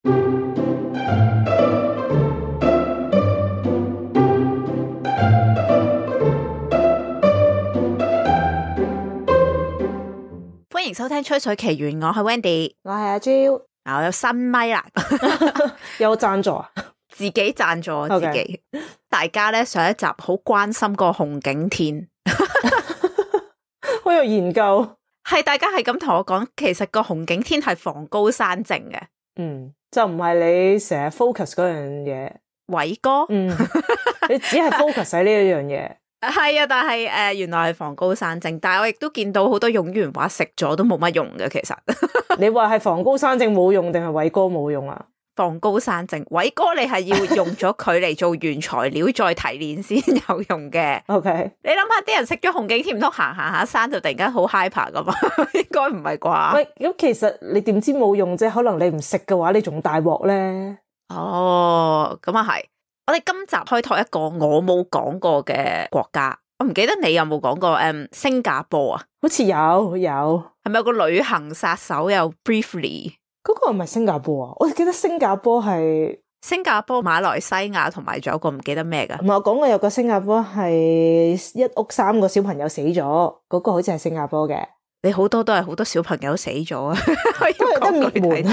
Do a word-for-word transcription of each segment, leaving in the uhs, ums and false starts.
歡迎收聽吹水奇緣，我係 Wendy， 我係阿 Jo， 我有新咪啦，有贊助啊，自己贊助自己。Okay. 大家咧上一集好關心個紅景天，好有研究。係大家係咁同我講，其實個紅景天係防高山症嘅，嗯，就唔係你成日 focus 嗰樣嘢，偉哥，嗯，你只係 focus 喺呢一樣嘢。係啊，但係誒、呃，原來係防高山症，但係我亦都見到好多用完話食咗都冇乜用嘅，其實。你話係防高山症冇用定係偉哥冇用啊？防高山症，偉哥你係要用咗佢嚟做原材料再提煉先有用嘅。OK， 你諗下啲人食咗紅景天唔通行行下山就突然間好 hyper 噶嘛？應該唔係啩？喂，咁其實你點知冇用啫？可能你唔食嘅話，你仲大鑊咧。哦，咁啊係。我哋今集開拓一個我冇講過嘅國家，我唔記得你有冇講過誒、嗯，新加坡啊？好似有有，係咪有個旅行殺手有 briefly？ 嗰個係咪新加坡啊？我記得新加坡係新加坡、馬來西亞同埋仲有個唔記得咩噶？唔係，我講過有個新加坡係一屋三個小朋友死咗，嗰、嗰個好似係新加坡嘅。你好多都係好多小朋友死咗啊，都係得滅門。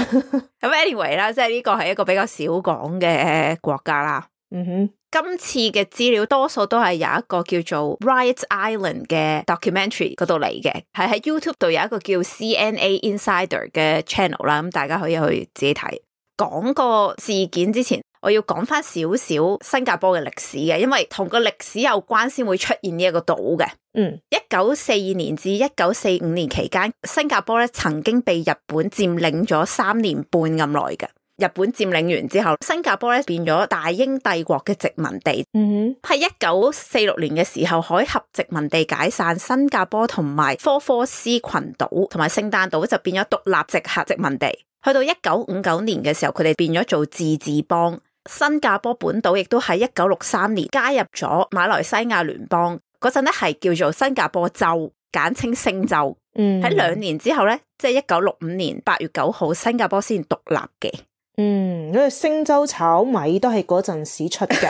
咁 anyway 啦，即係呢個係一個比較少講嘅國家啦。嗯哼，今次嘅資料多數都係有一個叫做 Riot Island 嘅 documentary 嗰度嚟嘅，係喺 YouTube 度有一個叫 C N A Insider 嘅 channel 啦，咁大家可以去自己睇。講個事件之前，我要講翻少少新加坡嘅歷史嘅，因為同個歷史有關先會出現呢一個島嘅。嗯，一九四二年至一九四五年期間，新加坡咧曾經被日本佔領咗三年半咁耐嘅。日本佔領完之後，新加坡咧變咗大英帝國嘅殖民地。嗯哼，喺一九四六年嘅時候，海峽殖民地解散，新加坡同埋科科斯群島同埋聖誕島就變咗獨立直轄殖民地。去到一九五九年嘅時候，佢哋變咗做自治邦。新加坡本島亦都喺一九六三年加入咗馬來西亞聯邦，嗰陣咧係叫做新加坡州，簡稱星州。嗯，喺兩年之後咧，即係一九六五年八月九號，新加坡先獨立嘅。嗯，因為星洲炒米都係嗰陣時出嘅。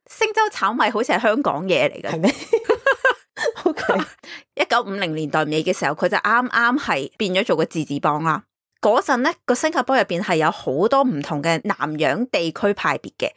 星洲炒米好似係香港嘢嚟嘅，係咩？OK，一九五零年代尾嘅時候，佢就啱啱係變咗做個自治邦啦。嗰陣咧，個新加坡入邊係有好多唔同嘅南洋地區派別嘅，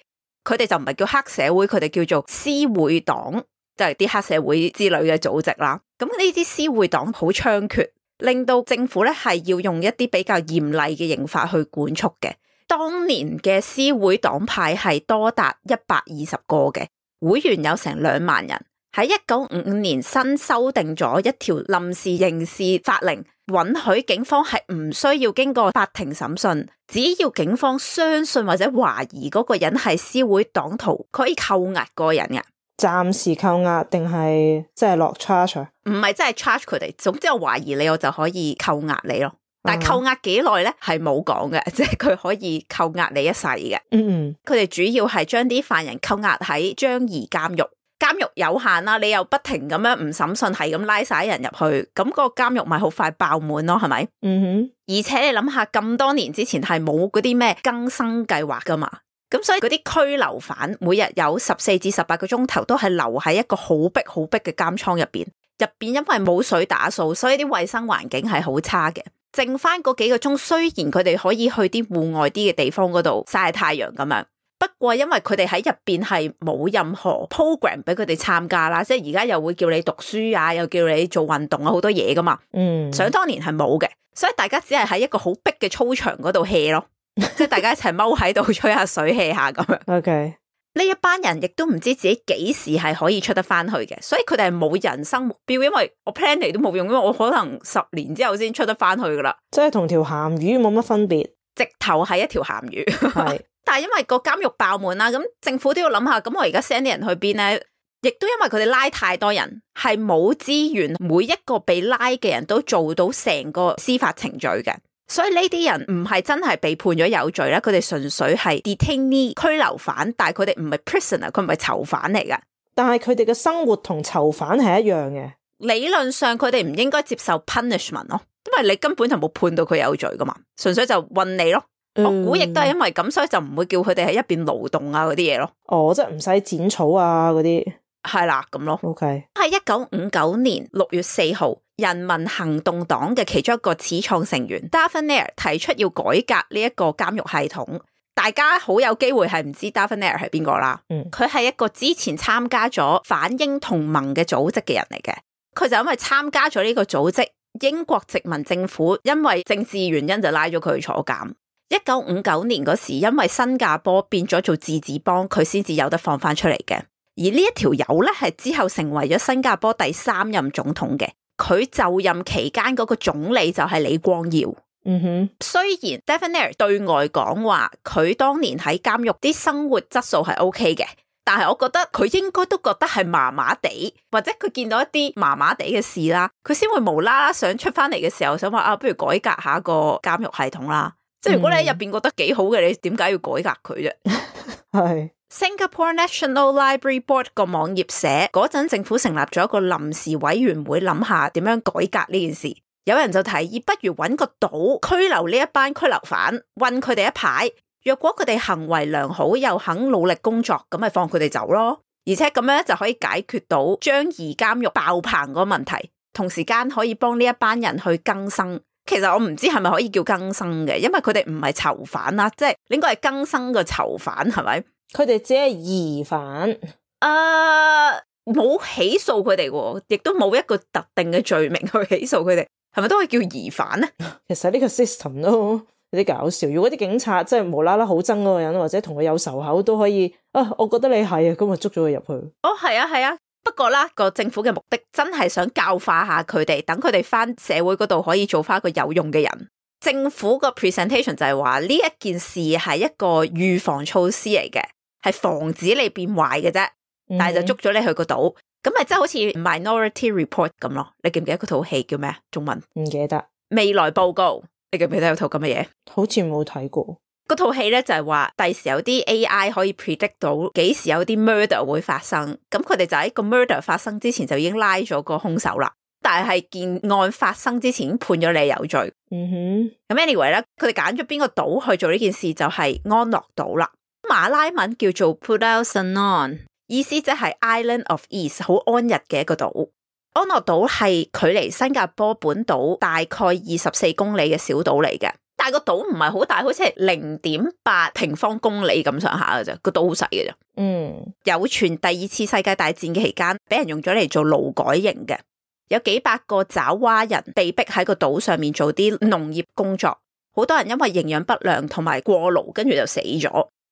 佢哋就唔係叫黑社會，佢哋叫做私會黨，就係啲黑社會之類嘅組織啦。咁呢啲私會黨好猖獗，令到政府咧係要用一啲比較嚴厲嘅刑法去管束嘅。當年嘅私會黨派係多達一百二十個嘅，會員有成兩萬人。喺一九五五年新修訂咗一條臨時刑事法令，允許警方係唔需要經過法庭審訊，只要警方相信或者懷疑嗰個人係私會黨徒，可以扣押個人嘅。暫時扣押定係即係落 charge？唔係真係 charge 佢哋，總之我懷疑你，我就可以扣押你咯。但係扣押幾耐咧係冇講嘅，即係佢可以扣押你一世嘅。嗯嗯，佢哋主要係將啲犯人扣押喺樟宜監獄，監獄有限啦，你又不停咁樣唔審訊，係咁拉晒人入去，咁個監獄咪好快爆滿咯，係咪？嗯哼，而且你諗下，咁多年之前係冇嗰啲咩更生計劃噶嘛，咁所以嗰啲拘留犯每日有十四至十八個鐘頭都係留喺一個好逼好逼嘅監倉入邊，入邊因為冇水打掃，所以啲衛生環境係好差嘅。剩翻嗰幾個鐘，雖然佢哋可以去啲戶外啲嘅地方嗰度曬太陽咁樣，不過因為佢哋喺入邊係冇任何 program 俾佢哋參加啦，即係而家又會叫你讀書啊，又叫你做運動啊，好多嘢噶嘛。嗯，想當年係冇嘅，所以大家只係喺一個好逼嘅操場嗰度 hea 咯，即係大家一齊踎喺度吹下水 hea 下咁樣。OK。呢一班人亦都唔知自己幾時係可以出得翻去嘅，所以佢哋係冇人生目標，因為我 plan 嚟都冇用，因為我可能十年之後先出得翻去噶啦，即係同條鹹魚冇乜分別，直頭係一條鹹魚。係，但係因為個監獄爆滿啦，咁政府都要諗下，咁我而家 send 啲人去邊咧？亦都因為佢哋拉太多人，係冇資源，每一個被拉嘅人都做到成個司法程序嘅。所以呢啲人唔係真係被判咗有罪啦，佢哋純粹係 detainee 拘留犯，但係佢哋唔係 prisoner， 佢唔係囚犯嚟噶。但係佢哋嘅生活同囚犯係一樣嘅。理論上佢哋唔應該接受 punishment 咯，因為你根本就冇判到佢有罪噶嘛，純粹就韞你咯。我估亦都係因為咁，所以就唔會叫佢哋喺一邊勞動啊嗰啲嘢咯。哦，即係唔使剪草啊嗰啲。係啦，咁咯。OK。喺一九五九年六月四號，人民行動黨嘅其中一個始創成員 Darfour 提出要改革呢一個監獄系統。大家好有機會係唔知 Darfour 係邊個啦。嗯，佢係一個之前參加咗反英同盟嘅組織嘅人嚟嘅。佢就因為參加咗呢個組織，英國殖民政府因為政治原因就拉咗佢去坐監。一九五九年嗰時，因為新加坡變咗做自治邦，佢先至有得放翻出嚟嘅。而呢一條友咧，係之後成為咗新加坡第三任總統嘅。佢就任期間嗰個總理就係李光耀。嗯哼，雖然 Darfour 對外講話佢當年喺監獄啲生活質素係 OK 嘅，但係我覺得佢應該都覺得係麻麻地，或者佢見到一啲麻麻地嘅事啦，佢先會無啦啦想出翻嚟嘅時候想話啊，不如改革下個監獄系統啦。即係如果你喺入邊覺得幾好嘅，你點解要改革佢啫？係。Singapore National Library Board 個網頁寫嗰陣政府成立咗一個臨時委員會，諗下點樣改革呢件事。有人就提議不如揾個島拘留呢一班拘留犯，韞佢哋一排，若果佢哋行為良好又肯努力工作，咁咪放佢哋走咯。而且咁樣就可以解決到樟宜監獄爆棚嗰個問題，同時間可以幫呢一班人去更生。其實我唔知係咪可以叫更生嘅，因為佢哋唔係囚犯啦，即係應該係更生嘅囚犯，係咪？佢哋只係疑犯，誒、uh, 冇起訴佢哋喎，亦都冇一個特定嘅罪名去起訴佢哋，係咪都可以叫疑犯咧？其實呢個 system 都有啲搞笑。如果啲警察即係無啦啦好憎嗰個人，或者同佢有仇口，都可以啊，我覺得你係啊，咁咪捉咗佢入去。哦，係啊，係啊。不過啦，個政府嘅目的真係想教化下佢哋，等佢哋翻社會嗰度可以做翻一個有用嘅人。政府個 presentation 就係話呢一件事係一個預防措施嚟嘅，係防止你變壞嘅啫，但係就捉咗你去個島，咁咪即係好似 Minority Report 咁咯。你記唔記得嗰套戲叫咩？中文唔記得。未來報告，你記唔記得有套咁嘅嘢？好似冇睇過。嗰套戲咧就係話，第時有啲 A I 可以 predict 到幾時有啲 murder 會發生，咁佢哋就喺個 murder 發生之前就已經拉咗個兇手啦。但係件案發生之前已經判咗你有罪。嗯哼。咁 anyway 咧，佢哋揀咗邊個島去做呢件事就係安樂島啦。馬拉文叫做 Pulau Senang， 意思即係 Island of Ease， 好安逸嘅一個島。安樂島係距離新加坡本島大概二十四公里嘅小島嚟嘅。但係個島唔係好大，好似係零點八平方公里咁上下嘅啫，個島好細嘅啫。嗯，有傳第二次世界大戰嘅期間，俾人用咗嚟做勞改營嘅，有幾百個爪哇人被逼喺個島上面做啲農業工作，好多人因為營養不良同埋過勞，跟住就死咗。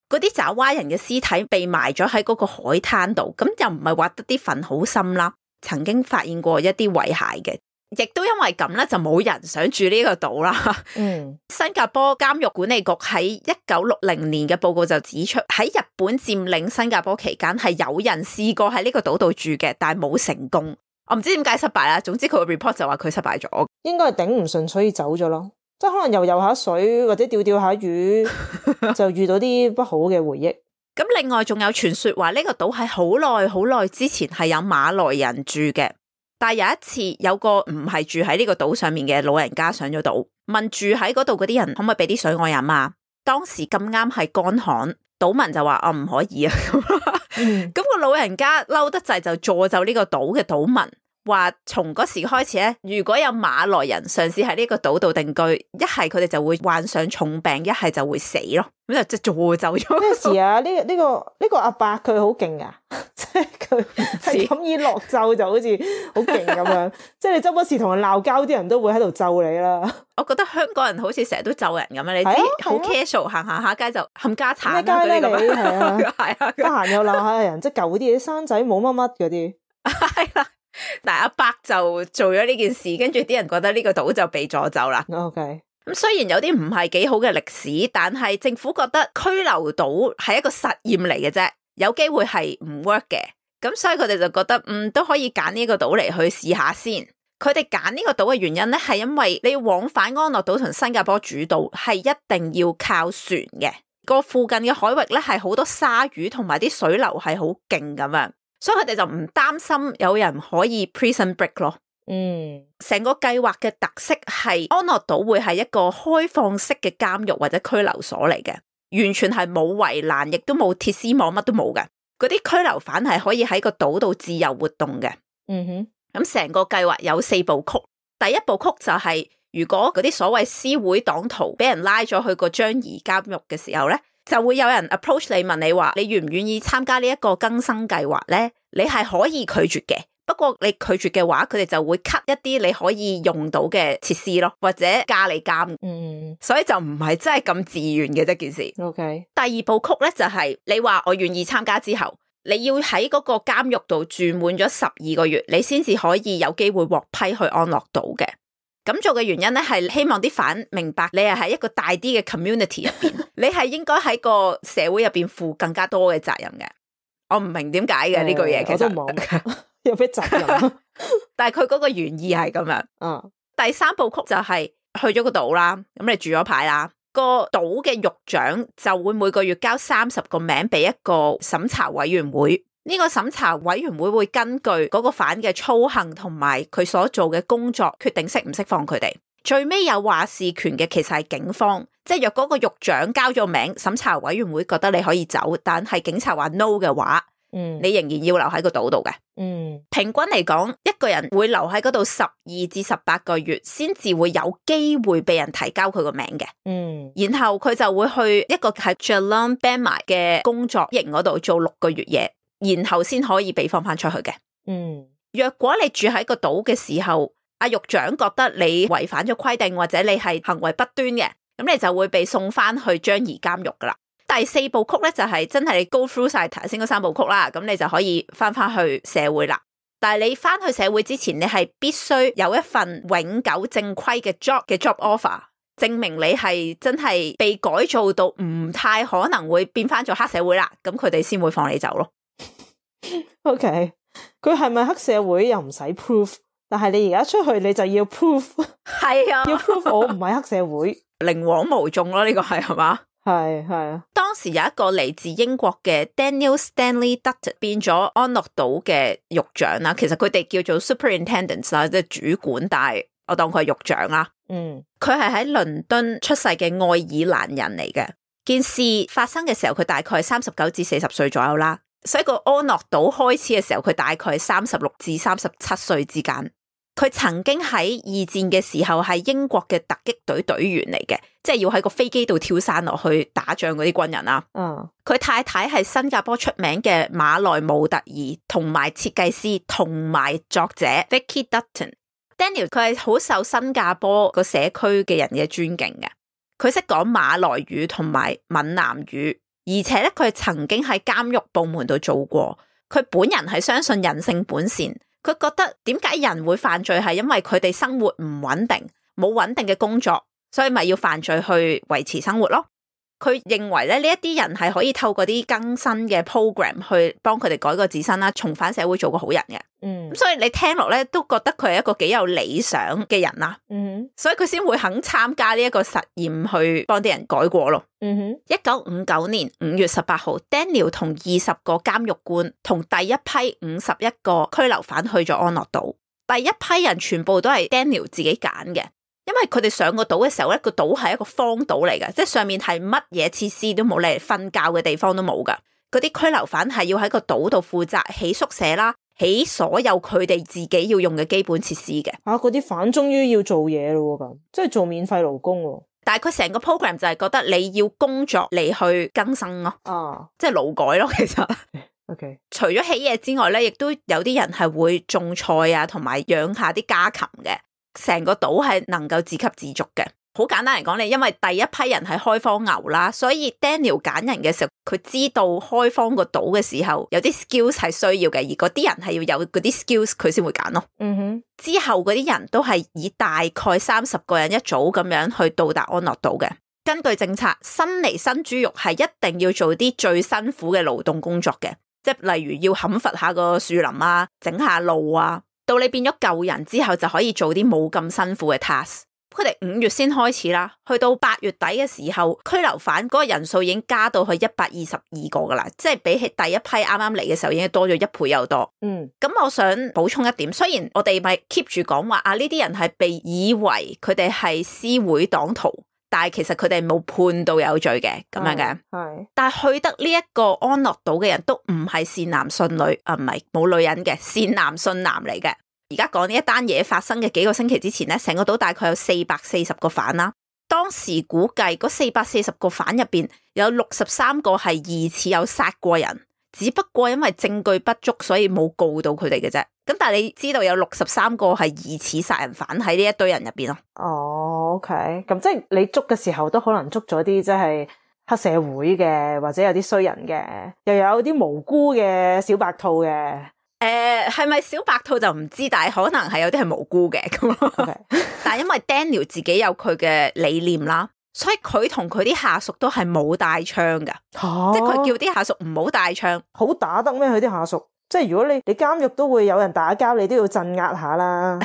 嗰啲爪哇人嘅屍體被埋咗喺嗰個海灘度，咁又唔係挖得啲墳好深啦，曾經發現過一啲遺骸嘅。亦都因為咁咧，就冇人想住呢個島啦。嗯，新加坡監獄管理局喺一九六零年嘅報告就指出，喺日本佔領新加坡期間，係有人試過喺呢個島度住嘅，但係冇成功。我唔知點解失敗啦。總之佢個 report 就話佢失敗咗，應該係頂唔順，所以走咗咯。即係可能游游下水或者釣釣下魚，就遇到啲不好嘅回憶。咁另外仲有傳說話呢個島喺好耐好耐之前係有馬來人住嘅。但係有一次，有個唔係住喺呢個島上面嘅老人家上咗島，問住喺嗰度嗰啲人可唔可以俾啲水我飲啊？當時咁啱係乾旱，島民就話：我唔可以啊！咁、嗯、個老人家嬲得滯，就詛咒呢個島嘅島民，話從嗰時開始咧，如果有馬來人嘗試喺呢個島度定居，一係佢哋就會患上重病，一係就會死咯。咁就即係詛咒咗。咩事啊？呢、呢個呢、呢個呢、呢個阿伯佢好勁啊！即係佢係咁以落咒就好似好勁咁樣，即係你周不時同人鬧交，啲人都會喺度咒你啦。我覺得香港人好似成日都咒人咁樣，你知好 casual 行行下街就冚家鏟啦嗰啲咁樣，係啊，係啊，得閒又鬧下人，即係舊啲嘢，生仔冇乜乜嗰啲。係啦，但係阿伯就做咗呢件事，跟住啲人覺得呢個島就被詛咒啦。OK。咁雖然有啲唔係幾好嘅歷史，但係政府覺得拘留島係一個實驗嚟嘅啫。有機會係唔 work 嘅，咁所以佢哋就覺得嗯都可以揀呢個島嚟去試下先。佢哋揀呢個島嘅原因咧，係因為你往返安樂島同新加坡主島係一定要靠船嘅，個附近嘅海域咧係好多鯊魚同埋啲水流係好勁咁樣，所以佢哋就唔擔心有人可以 prison break 咯。嗯，成個計劃嘅特色係安樂島會係一個開放式嘅監獄或者拘留所嚟嘅，完全係冇圍欄，亦都冇鐵絲網，乜都冇嘅。嗰啲拘留犯係可以喺個島度自由活動嘅。嗯哼，咁成個計劃有四部曲，第一部曲就係、是、如果嗰啲所謂私會黨徒俾人拉咗去個樟宜監獄嘅時候咧，就會有人 approach 你問你話你願唔願意參加呢一個更生計劃咧？你係可以拒絕嘅，不過你拒絕嘅話，佢哋就會 cut 一啲你可以用到嘅設施咯，或者加你監。嗯，所以就唔係真係咁自願嘅啫件事。OK，第二部曲咧就係、是、你話我願意參加之後，你要喺嗰個監獄度住滿咗十二個月，你先至可以有機會獲批去安樂島嘅。咁做嘅原因咧係希望啲犯明白你係喺一個大啲嘅 community 入邊，你係應該喺個社會入邊負更加多嘅責任嘅。我唔明點解嘅呢句嘢，其實我都冇有咩責任，但係佢嗰個原意係咁樣。嗯，第三部曲就係去咗個島啦，咁你住咗牌啦，個島嘅獄長就會每個月交三十個名俾一個審查委員會。呢個審查委員會會根據嗰個犯嘅操行同埋佢所做嘅工作，決定釋唔釋放佢哋。最尾有話事權嘅其實係警方，即係若嗰個獄長交咗名，審查委員會覺得你可以走，但係警察話 no 嘅話，嗯，你仍然要留喺個島度嘅。嗯，平均嚟講，一個人會留喺嗰度十二至十八個月，先至會有機會被人提交佢個名嘅。嗯，然後佢就會去一個係 Jalan Bangmai 嘅工作營嗰度做六個月嘢。然後先可以被放翻出去嘅。嗯，若果你住喺個島嘅時候，阿獄長覺得你違反咗規定或者你係行為不端嘅，咁你就會被送翻去樟宜監獄噶啦。第四部曲咧就係、是、真係你 go through 晒頭先嗰三部曲啦，咁你就可以翻翻去社會啦。但係你翻去社會之前，你係必須有一份永久正規嘅 job 嘅 job offer，證明你係真係被改造到唔太可能會變翻做黑社會啦，咁佢哋先會放你走咯。OK，佢係咪黑社會又唔使 proof， 但係你而家出去你就要 proof， 係啊，要 proof 我唔係黑社會，寧枉毋縱咯，呢個係係嘛？係係啊。當時有一個嚟自英國嘅 Daniel Stanley Dutton 變咗安樂島嘅獄長啦，其實佢哋叫做 superintendents 啦，即係主管，但係我當佢係獄長啦。嗯，佢係喺倫敦出世嘅愛爾蘭人嚟嘅。件事發生嘅時候，佢大概係三十九至四十歲左右啦。所以個安樂島開始嘅時候，佢大概係三十六至三十七歲之間。佢曾經喺二戰嘅時候係英國嘅突擊隊隊員嚟嘅，即係要喺個飛機度跳傘落去打仗嗰啲軍人啦。嗯，佢太太係新加坡出名嘅馬來模特兒同埋設計師同埋作者 Vicky Dutton。Daniel 佢係好受新加坡個社區嘅人嘅尊敬嘅，佢識講馬來語同埋閩南語。而且咧，佢曾經喺監獄部門度做過。佢本人係相信人性本善，佢覺得點解人會犯罪係因為佢哋生活唔穩定，冇穩定嘅工作，所以咪要犯罪去維持生活咯。佢認為咧，呢一啲人係可以透過啲更新嘅 program 去幫佢哋改過自身啦，重返社會做個好人嘅。嗯，咁所以你聽落咧都覺得佢係一個幾有理想嘅人啦。嗯，所以佢先會肯參加呢一個實驗去幫啲人改過咯。嗯哼，一九五九年五月十八號 Daniel 同二十個監獄官同第一批五十一個拘留犯去咗安樂島。第一批人全部都係 Daniel 自己揀嘅。因為佢哋上個島嘅時候咧，個島係一個荒島嚟嘅，即係上面係乜嘢設施都冇，嚟瞓覺嘅地方都冇噶。嗰啲拘留犯係要喺個島度負責起宿舍啦，起所有佢哋自己要用嘅基本設施嘅。啊，嗰啲犯終於要做嘢咯，咁即係做免費勞工咯。但係佢成個 program 就係覺得你要工作嚟去更生咯，啊，即係勞改咯。其實，OK，除咗起嘢之外咧，亦都有啲人係會種菜啊，同埋養下啲家禽嘅。成個島係能夠自給自足嘅。好簡單嚟講，你因為第一批人係開荒牛啦，所以 Daniel 揀人嘅時候，佢知道開荒個島嘅時候有啲 skills 係需要嘅，而嗰啲人係要有嗰啲 skills，佢先會揀咯。嗯哼，之後嗰啲人都係以大概三十個人一組咁樣去到達安樂島嘅。根據政策，新嚟新豬肉係一定要做啲最辛苦嘅勞動工作嘅，即係例如要砍伐下個樹林啊，整下路啊。到你變咗舊人之後，就可以做啲冇咁辛苦嘅 task。佢哋五月先開始啦，去到八月底嘅時候，拘留犯嗰個人數已經加到去一百二十二個噶啦，即係比起第一批啱啱嚟嘅時候已經多咗一倍又多。嗯，咁我想補充一點，雖然我哋咪 keep 住講話啊，呢啲人係被以為佢哋係私會黨徒，但係其實佢哋冇判到有罪嘅咁樣嘅。係，但係去得呢一個安樂島嘅人都唔係善男信女啊，唔係冇女人嘅善男信男嚟嘅。而家講呢一單嘢發生嘅幾個星期之前咧，成個島大概有四百四十個犯啦。當時估計嗰四百四十個犯入邊有六十三個係疑似有殺過人，只不過因為證據不足，所以冇告到佢哋嘅啫。咁但係你知道有六十三個係疑似殺人犯喺呢一堆人入邊咯。哦 ，OK，咁即係你捉嘅時候都可能捉咗啲即係黑社會嘅，或者有啲衰人嘅，又有啲無辜嘅小白兔嘅。誒，係咪小白兔就唔知，但係可能係有啲係無辜嘅咁咯。Okay. 但係因為 Daniel 自己有佢嘅理念啦，所以佢同佢啲下屬都係冇帶槍噶，啊、即係佢叫啲下屬唔好帶槍。好打得咩？佢啲下屬，即係如果你你監獄都會有人打交，你都要鎮壓下啦。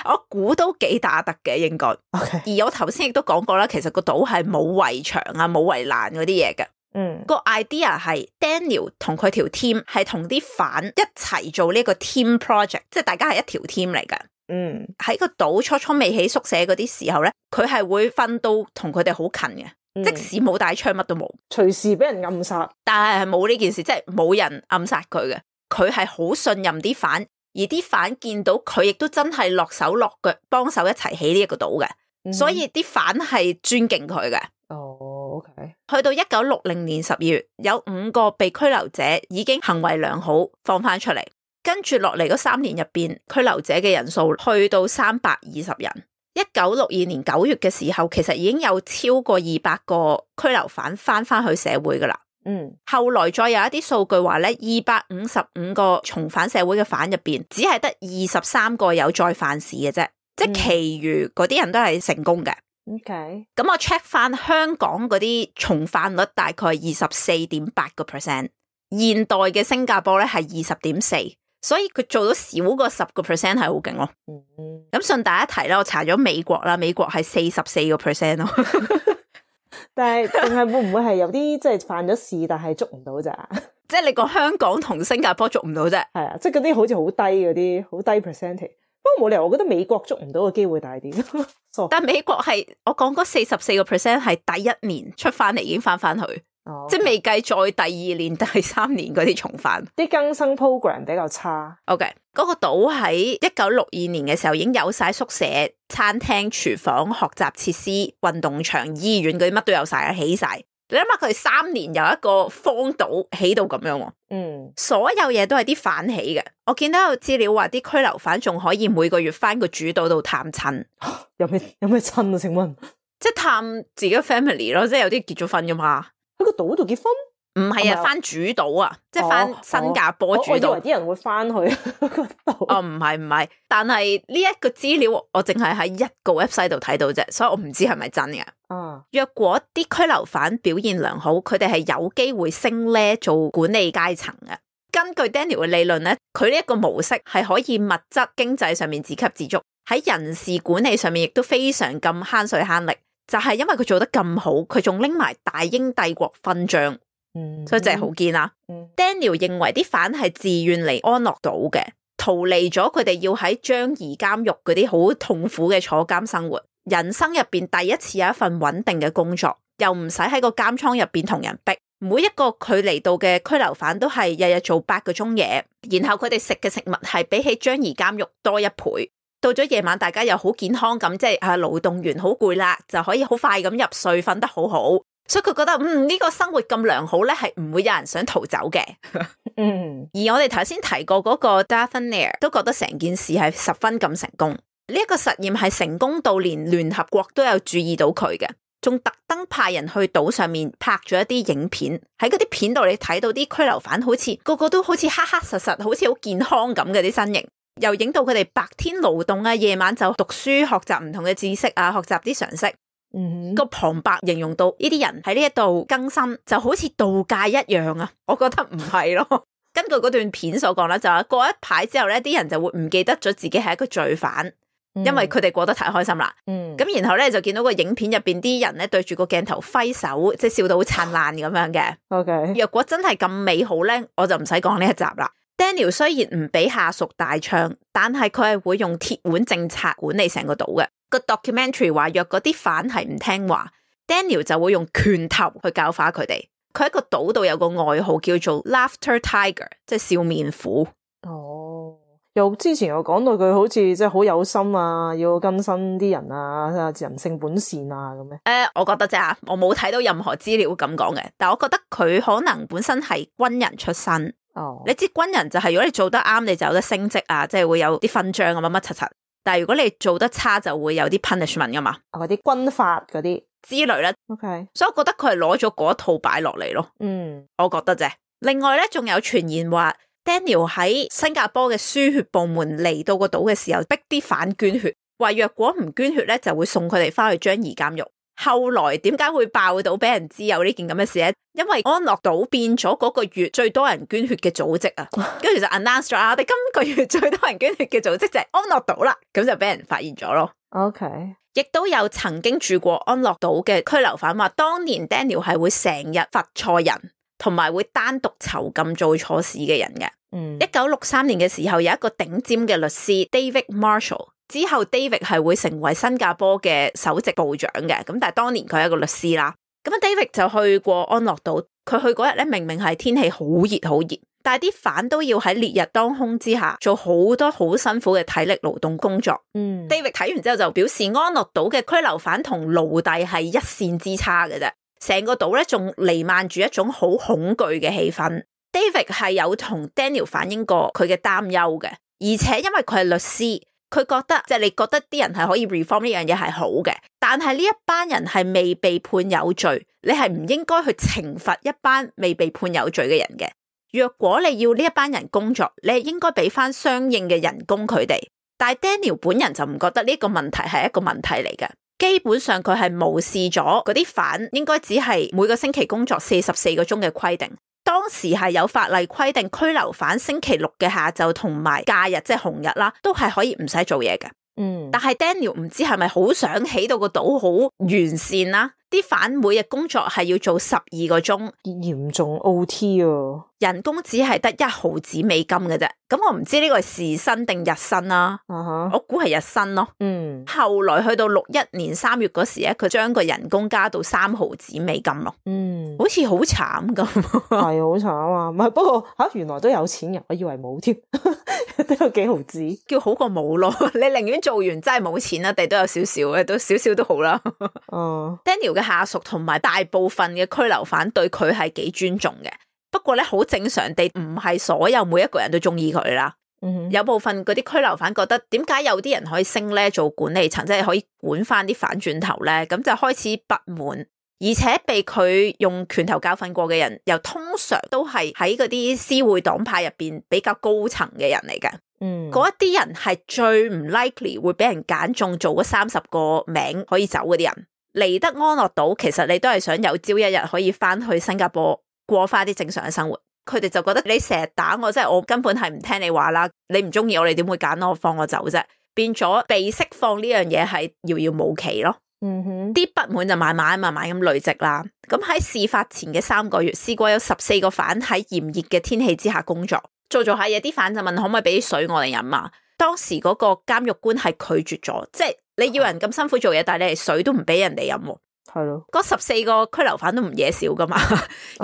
我估都幾打得嘅應該。Okay. 而我頭先亦都講過啦，其實個島係冇圍牆啊，冇圍欄嗰啲嘢嘅。嗯，個 idea 係 Daniel 同佢條 team 係同啲犯一齊做呢個 team project， 即係大家係一條 team 嚟嘅。嗯，喺個島初初未起宿舍嗰啲時候咧，佢係會分到同佢哋好近嘅，嗯、即使冇帶槍乜都冇，隨時俾人暗殺。但係係冇呢件事，即係冇人暗殺佢嘅。佢係好信任啲犯，而啲犯見到佢亦都真係落手落腳幫手一齊起呢一個島嘅，嗯、所以啲犯係尊敬佢嘅。哦 ，OK。去到一九六零年十二月，有五個被拘留者已經行為良好，放翻出嚟。跟住落嚟嗰三年入邊，拘留者嘅人數去到三百二十人。一九六二年九月嘅時候，其實已經有超過二百個拘留犯翻翻去社會噶啦。嗯，後來再有一啲數據話咧，二百五十五個重返社會嘅犯入邊，只係得二十三個有再犯事嘅啫，即係其餘嗰啲人都係成功嘅。OK，咁我 check 翻香港嗰啲重犯率大概二十四點八個 percent， 現代嘅新加坡咧係二十點四，所以佢做到少過十個 percent 係好勁咯。咁順帶一提啦，我查咗美國啦，美國係四十四個 percent 咯。但係定係會唔會係有啲即係犯咗事但係捉唔到咋？即係你講香港同新加坡捉唔到啫？係啊，即係嗰啲好似好低嗰啲，好低 percentage。不過冇理由，我覺得美國捉唔到嘅機會大啲。但係美國係我講嗰四十四個 percent 係第一年出翻嚟已經翻翻去，哦 okay. 即係未計再第二年、第三年嗰啲重犯。啲更生 program 比較差。OK，嗰個島喺一九六二年嘅時候已經有晒宿舍、餐廳、廚房、學習設施、運動場、醫院嗰啲乜都有晒啊，起晒。你諗下佢哋三年由一個荒島起到咁樣，嗯，所有嘢都係啲犯起嘅。我見到有資料話啲拘留犯仲可以每個月翻個主島度探親，有咩有咩親啊？請問，即係探自己嘅 family 咯，即係有啲結咗婚噶嘛？喺個島度結婚？唔係啊，翻主島啊，即係翻新加坡主島。我以為啲人會翻去個島。哦，唔係唔係，但係呢一個資料我淨係喺一個 website 度睇到啫，所以我唔知係咪真嘅。啊，若果啲拘留犯表現良好，佢哋係有機會升呢做管理階層嘅。根據 Daniel 嘅理論咧，佢呢一個模式係可以物質經濟上面自給自足，喺人事管理上面亦都非常咁慳水慳力。就係因為佢做得咁好，佢仲拎埋大英帝國勳章。嗯、所以真係好堅啦。嗯、Daniel 認為啲犯係自願嚟安樂島嘅，逃離咗佢哋要喺樟宜監獄嗰啲好痛苦嘅坐監生活，人生入邊第一次有一份穩定嘅工作，又唔使喺個監倉入邊同人逼。每一個佢嚟到嘅拘留犯都係日日做八個鐘嘢，然後佢哋食嘅食物係比起樟宜監獄多一倍。到咗夜晚，大家又好健康咁，即係啊勞動完好攰啦，就可以好快咁入睡，瞓得好好。所以佢覺得嗯呢個生活咁良好咧，係唔會有人想逃走嘅。嗯，而我哋頭先提過嗰個 Dathnair 都覺得成件事係十分咁成功。呢一個實驗係成功到連聯合國都有注意到佢嘅，仲特登派人去島上面拍咗一啲影片。喺嗰啲片度你睇到啲拘留犯好似個個都好似黑黑實實，好似好健康咁嘅啲身形，又影到佢哋白天勞動啊，夜晚就讀書學習唔同嘅知識啊，學習啲常識。嗯，個旁白形容到呢啲人喺呢一度更新就好似度假一樣啊，我覺得唔係咯。根據嗰段片所講啦，就話過一排之後咧，啲人就會唔記得咗自己係一個罪犯，因為佢哋過得太開心啦。嗯，咁然後咧就見到個影片入邊啲人咧對住個鏡頭揮手，即係笑到好燦爛咁樣嘅。OK，若果真係咁美好咧，我就唔使講呢一集啦。Daniel 雖然唔俾下屬大槍，但係佢係會用鐵腕政策管理成個島嘅。個 documentary 話，若嗰啲犯係唔聽話， Daniel 就會用拳頭去教化佢哋。佢喺個島度有個外號叫做 Laughter Tiger， 即係笑面虎。哦，又之前我講到佢好似即係好有心啊，要更新啲人啊，人性本善啊咁樣。誒、呃，我覺得啫，我冇睇到任何資料咁講嘅，但我覺得佢可能本身係軍人出身。哦，你知軍人就係如果你做得啱，你就有得升職啊，即係會有啲勳章咁乜乜柒柒。但係如果你做得差，就會有啲 punishment 噶嘛，嗰啲軍法嗰啲之類啦。OK，所以我覺得佢係攞咗嗰一套擺落嚟咯。嗯，我覺得啫。另外咧，仲有傳言話 Daniel 喺新加坡嘅輸血部門嚟到個島嘅時候，逼啲犯捐血，話若果唔捐血咧，就會送佢哋翻去樟宜監獄。後來點解會爆到俾人知有呢件咁嘅事咧？因為安樂島變咗嗰個月最多人捐血嘅組織啊，跟住就 announce 咗啊，我哋今個月最多人捐血嘅組織就係安樂島啦，咁就俾人發現咗咯。OK，亦都有曾經住過安樂島嘅拘留犯話，當年 Daniel 係會成日罰錯人，同埋會單獨囚禁做錯事嘅人嘅。嗯，一九六三年嘅時候，有一個頂尖嘅律師 David Marshall。之後 David 係會成為新加坡嘅首席部長嘅，咁但係當年佢係一個律師啦。咁 David 就去過安樂島，佢去嗰日咧明明係天氣好熱好熱，但係啲犯都要喺烈日當空之下做好多好辛苦嘅體力勞動工作。嗯 David 睇完之後就表示安樂島嘅拘留犯同奴隸係一線之差嘅啫，成個島咧仲彌漫住一種好恐懼嘅氣氛。David 係有同 Daniel 反映過佢嘅擔憂嘅，而且因為佢係律師。佢覺得即係、就是、你覺得啲人係可以 reform 呢樣嘢係好嘅，但係呢一班人係未被判有罪，你係唔應該去懲罰一班未被判有罪嘅人嘅。若果你要呢一班人工作，你係應該俾翻相應嘅人工佢哋。但係 Daniel 本人就唔覺得呢個問題係一個問題嚟嘅，基本上佢係無視咗嗰啲犯應該只係每個星期工作四十四個鐘嘅規定。當時係有法例規定拘留犯星期六嘅下晝同埋假日即係紅日啦，都係可以唔使做嘢嘅。嗯，但係 Daniel 唔知係咪好想起到個島好完善啦？啲犯每日工作係要做十二個鐘，嚴重 O T 啊，人工只係得一毫子美金嘅啫。咁我唔知呢個係時薪定日薪啦。uh-huh. 我估係日薪咯。嗯，後來去到六一年三月嗰時咧，佢將個人工加到三毫子美金咯。嗯，好似好慘咁。係好慘啊！唔係，不過吓、啊、原來都有錢人，我以為冇添，都有幾毫子，叫好過冇咯。你寧願做完真係冇錢啦，地都有少少嘅，都少少都好啦。嗯、uh. Daniel 嘅下屬同埋大部分嘅拘留犯對佢係幾尊重嘅，不過咧好正常地唔係所有每一個人都中意佢啦。Mm-hmm. 有部分嗰啲拘留犯覺得點解有啲人可以升咧做管理層，即係可以管翻啲反轉頭咧，咁就開始不滿，而且被佢用拳頭教訓過嘅人，又通常都係喺嗰啲私會黨派入邊比較高層嘅人嚟嘅。嗯，嗰一啲人係最唔 likely 會俾人揀中做嗰三十個名可以走嗰啲人。嚟得安樂島，其實你都係想有朝一日可以翻去新加坡過翻啲正常嘅生活。佢哋就覺得你成日打我，即係我根本係唔聽你話啦。你唔中意我，你點會揀我放我走啫？變咗被釋放呢樣嘢係遙遙無期咯。嗯哼，啲不滿就慢慢慢慢咁累積啦。咁喺事發前嘅三個月，試過有十四個犯喺炎熱嘅天氣之下工作，做做下嘢。啲犯就問可唔可以俾啲水我哋飲啊？當時嗰個監獄官係拒絕咗，即係你要人咁辛苦做嘢，但係你係水都唔俾人哋飲。係咯，嗰十四個拘留犯都唔嘢少噶嘛。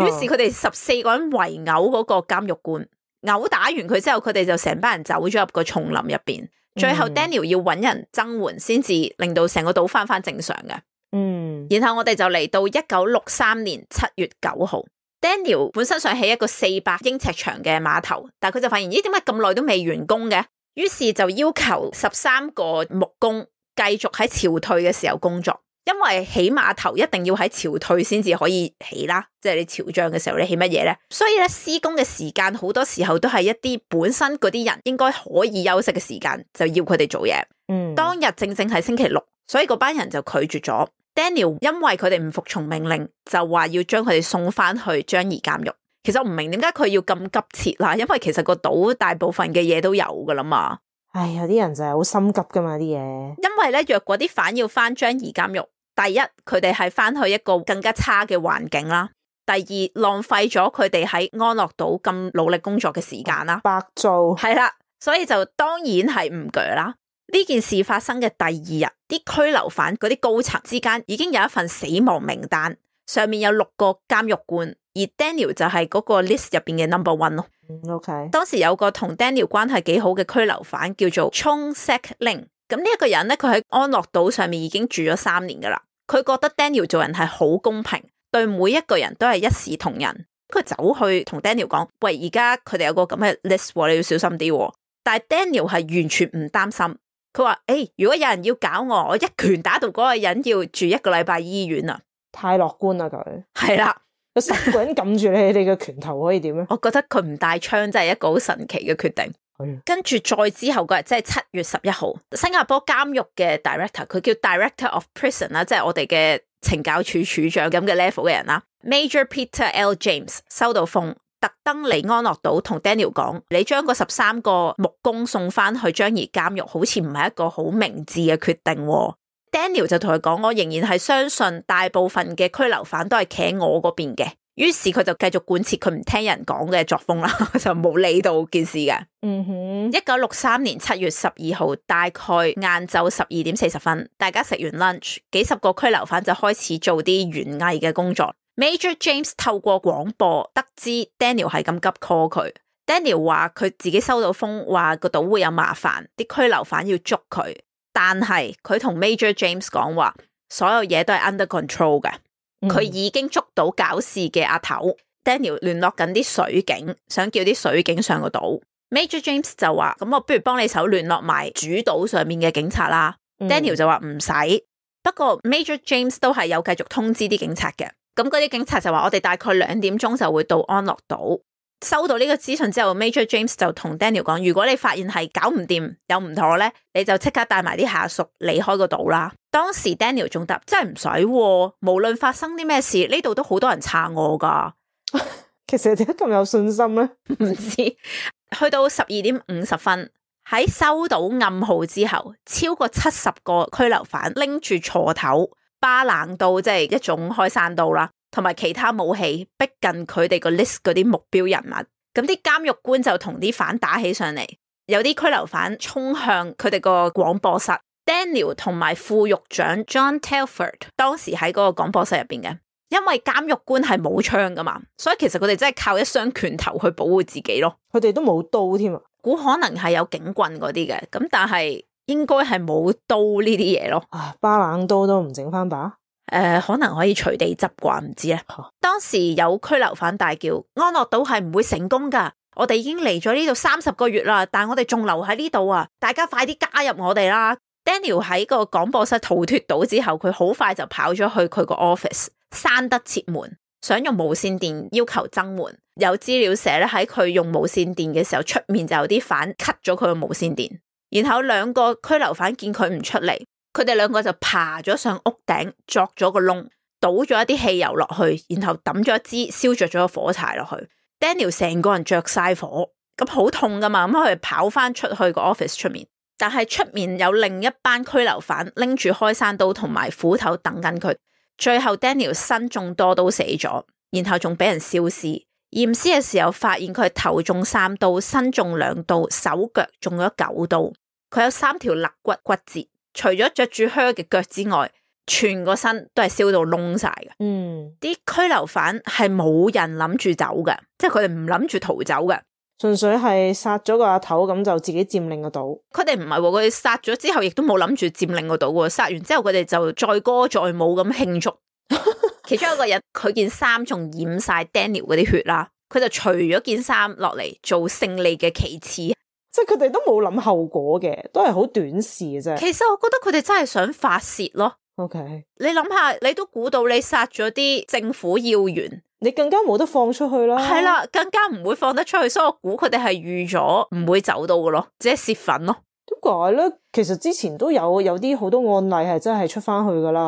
於是佢哋十四個人圍毆嗰個監獄官，毆打完佢之後，佢哋就成班人走咗入個叢林入邊。最後 Daniel 要揾人增援，先至令到成個島翻翻正常嘅。嗯，然後我哋就嚟到一九六三年七月九號，Daniel 本身想起一個四百英尺長嘅碼頭，但係佢就發現咦，點解咁耐都未完工嘅？於是就要求十三個木工繼續喺潮退嘅時候工作。因為起碼頭一定要喺潮退先至可以起啦，即係你潮漲嘅時候你起乜嘢咧？所以咧施工嘅時間好多時候都係一啲本身嗰啲人應該可以休息嘅時間，就要佢哋做嘢。嗯，當日正正係星期六，所以嗰班人就拒絕咗。Daniel 因為佢哋唔服從命令，就話要將佢哋送翻去樟宜監獄。其實我唔明點解佢要咁急切啦，因為其實個島大部分嘅嘢都有噶啦嘛。唉，有啲人就係好心急噶嘛啲嘢。因為咧，若果啲犯要翻樟宜監獄，第一佢哋係翻去一個更加差嘅環境啦，第二浪費咗佢哋喺安樂島咁努力工作嘅時間啦，白做。係啦，所以就當然係唔鋸啦。呢件事發生嘅第二日，啲拘留犯嗰啲高層之間已經有一份死亡名單，上面有六個監獄官，而 Daniel 就係嗰個 list 入邊嘅 number one 咯。OK， 當時有個同 Daniel 關係幾好嘅拘留犯叫做 Chong Sek Ling， 咁呢一個人咧，佢喺安樂島上面已經住咗三年噶啦，佢覺得 Daniel 做人係好公平，對每一個人都係一視同仁。佢走去同 Daniel 講：喂，而家佢哋有個咁嘅 list， 你要小心啲。但係 Daniel 係完全唔擔心。佢話：誒、欸，如果有人要搞我，我一拳打到嗰個人要住一個禮拜醫院啊！太樂觀啦佢。係啦，有十個人撳住你哋嘅拳頭可以點咧？我覺得佢唔帶槍真係一個好神奇嘅決定。係。跟住再之後嗰日，即係七月十一號，新加坡監獄嘅 director， 佢叫 Director of Prison 啦，即係我哋嘅懲教處處長咁嘅 level 嘅人啦。Major Peter L. James 收到風，特登嚟安樂島同 Daniel 講：你將個十三個木工送翻去樟宜監獄，好似唔係一個好明智嘅決定。Daniel 就同佢講：我仍然係相信大部分嘅拘留犯都係企喺我嗰邊嘅。於是佢就繼續貫徹佢唔聽人講嘅作風啦，就冇理到件事嘅。嗯哼。一九六三年七月十二號，大概晏晝十二點四十分，大家食完 lunch， 幾十個拘留犯就開始做啲園藝嘅工作。Major James 透過廣播得知 Daniel 係咁急 call 佢。Daniel 話佢自己收到風，話個島會有麻煩，啲拘留犯要捉佢。但係佢同 Major James 講話，所有嘢都係 under control 嘅。佢、嗯、已經捉到搞事嘅阿頭。Daniel 聯絡緊啲水警，想叫啲水警上個島。Major James 就話：咁我不如幫你手聯絡埋主島上面嘅警察啦。嗯、Daniel 就話唔使。不過 Major James 都係有繼續通知啲警察嘅。咁嗰啲警察就話：我哋大概兩點鐘就會到安樂島。收到呢個資訊之後 Major James 就同 Daniel 講：如果你發現係搞唔掂有唔妥咧，你就即刻帶埋啲下屬離開個島啦。當時 Daniel 仲答：真係唔使，無論發生啲咩事，呢度都好多人撐我噶。其實點解咁有信心咧？唔知。去到十二點五十分，喺收到暗號之後，超過七十個拘留犯拎住鋤頭、巴冷刀，即係一種開山刀啦，同埋其他武器逼近佢哋個 list 嗰啲目標人物。咁啲監獄官就同啲犯打起上嚟，有啲拘留犯衝向佢哋個廣播室。Daniel 同埋副獄長 John Telford 當時喺嗰個廣播室入邊嘅，因為監獄官係冇槍噶嘛，所以其實佢哋真係靠一雙拳頭去保護自己咯。佢哋都冇刀添啊，估可能係有警棍嗰啲嘅，咁但係應該係冇刀呢啲嘢咯。啊，巴冷刀都唔整翻把？誒、呃，可能可以隨地執啩，唔知咧。啊、當時有拘留犯大叫：安樂島係唔會成功噶，我哋已經嚟咗呢度三十個月啦，但我哋仲留喺呢度啊！大家快啲加入我哋啦！Daniel 喺個廣播室逃脫到之後，佢好快就跑咗去佢個 office， 閂得切門，想用無線電要求增援。有資料寫咧，喺佢用無線電嘅時候，出面就有啲犯 cut 咗佢個無線電。然後兩個拘留犯見佢唔出嚟，佢哋兩個就爬咗上屋頂，鑿咗個窿，倒咗一啲汽油落去，然後抌咗一支燒着咗個火柴落去。Daniel 成個人着晒火，咁好痛噶嘛，咁佢哋跑翻出去個 office 出面。但係出面有另一班拘留犯拎住開山刀同埋斧頭等緊佢，最後 Daniel 身中多刀死咗，然後仲俾人燒屍。驗屍嘅時候發現佢係頭中三刀，身中兩刀，手腳中咗九刀。佢有三條肋骨骨折，除咗着住靴嘅腳之外，全個身都係燒到窿晒嘅。嗯，啲拘留犯係冇人諗住走嘅，即係佢哋唔諗住逃走嘅。純粹係殺咗個阿頭，咁就自己佔領個島。佢哋唔係喎，佢哋殺咗之後亦都冇諗住佔領個島喎。殺完之後佢哋就載歌載舞咁慶祝。其中一個人佢件衫仲染晒 Daniel 嗰啲血啦，佢就除咗件衫落嚟做勝利嘅旗幟。即係佢哋都冇諗後果嘅，都係好短視嘅啫。其實我覺得佢哋真係想發洩咯。OK，你諗下，你都估到你殺咗啲政府要員，你更加冇得放出去啦。係啦，更加唔會放得出去，所以我估佢哋係預咗唔會走到嘅咯，即係洩憤咯。點解咧？其實之前都有有啲好多案例係真係出翻去噶啦。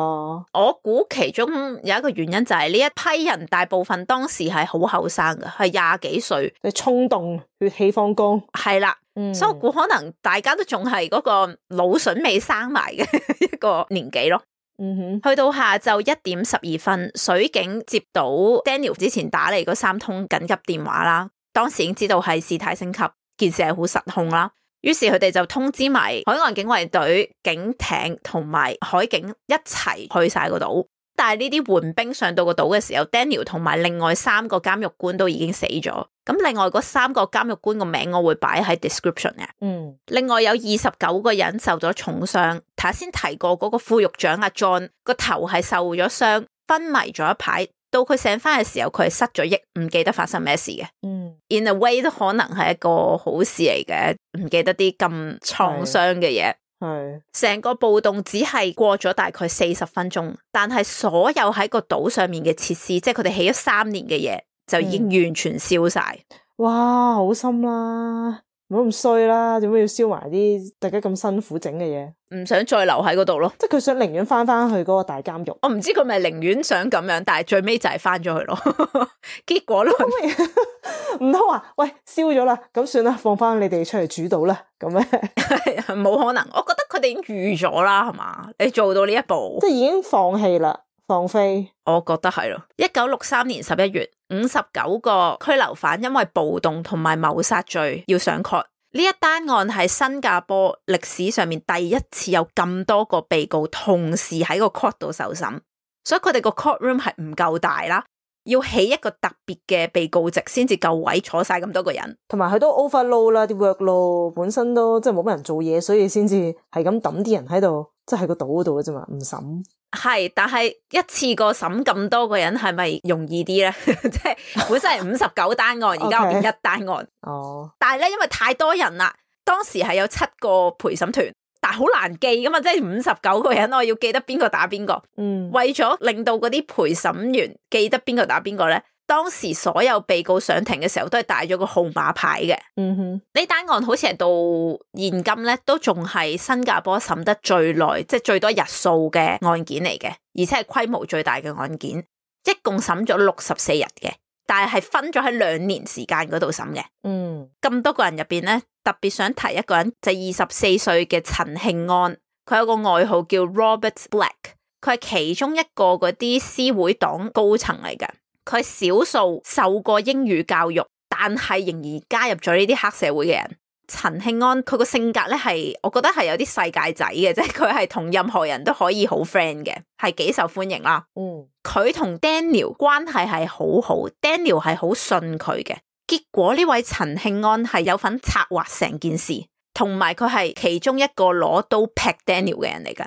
我估其中有一個原因就係呢一批人大部分當時係好後生嘅，係廿幾歲，你衝動、血氣方剛。係啦，嗯、所以我估可能大家都仲係嗰個腦筍未生埋嘅一個年紀咯。嗯哼，去到下晝一點十二分，水警接到 Daniel 之前打嚟嗰三通緊急電話啦，當時已經知道係事態升級，件事係好失控啦。於是佢哋就通知埋海岸警衛隊、警艇同埋海警一齊去晒個島。但係呢啲援兵上到個島嘅時候 ，Daniel 同埋另外三個監獄官都已經死咗。咁另外嗰三個監獄官個名我會擺喺 description 嘅。嗯，另外有二十九個人受咗重傷。頭先提過嗰個副獄長阿 John 個頭係受咗傷，昏迷咗一排。到佢醒翻嘅時候，佢係失咗憶，唔記得發生咩事嘅。嗯 ，in a way 都可能係一個好事嚟嘅，唔記得啲咁創傷嘅嘢。係成個暴動只係過咗大概四十分鐘，但係所有喺個島上面嘅設施，即係佢哋起咗三年嘅嘢，就已經完全燒晒。嗯。哇，好心啦，唔好咁衰啦，點解要燒埋啲大家咁辛苦整嘅嘢？唔想再留喺嗰度咯，即係佢想寧願翻翻去嗰個大監獄。我唔知佢咪寧願想咁樣，但係最尾就係翻咗去咯。結果咯，唔通話喂燒咗啦，咁算啦，放翻你哋出嚟主導啦，咁咧冇可能。我覺得佢哋已經預咗啦，係嘛？你做到呢一步，即係已經放棄啦，放飛。我覺得係咯。一九六三年十一月，五十九個拘留犯因為暴動同埋謀殺罪要上 court。呢一單案係新加坡歷史上面第一次有咁多個被告同時喺個 court 度受審，所以佢哋個 court room 係唔夠大啦，要起一個特別嘅被告席先至夠位坐晒咁多個人，同埋佢都 overload 啦，啲 workload 本身都即係冇乜人做嘢，所以先至係咁抌啲人喺度，即係喺個島嗰度嘅啫嘛，唔審。係，但係一次過審咁多個人係咪容易啲咧？即係本身係五十九單案，而家我變一單案。哦，但係咧，因為太多人啦，當時係有七個陪審團，但係好難記噶嘛，即係五十九個人，我要記得邊個打邊個。嗯，為咗令到嗰啲陪審員記得邊個打邊個咧，當時所有被告上庭嘅時候都係帶咗個號碼牌嘅。嗯哼，呢單案好似係到現今咧，都仲係新加坡審得最耐，即係最多日數嘅案件嚟嘅，而且係規模最大嘅案件，一共審咗六十四日嘅，但係係分咗喺兩年時間嗰度審嘅。嗯，咁多個人入邊咧，特別想提一個人，就係二十四歲嘅陳慶安，佢有個外號叫 Robert Black， 佢係其中一個嗰啲私會黨高層嚟嘅。佢少數受過英語教育，但係仍然加入咗呢啲黑社會嘅人。陳慶安佢個性格咧係，我覺得係有啲世界仔嘅，即係佢係同任何人都可以好 friend 嘅，係幾受歡迎啦。嗯，佢同 Daniel 關係係好好 ，Daniel 係好信佢嘅。結果呢位陳慶安係有份策劃成件事。同埋佢係其中一個攞刀劈 Daniel 嘅人嚟㗎。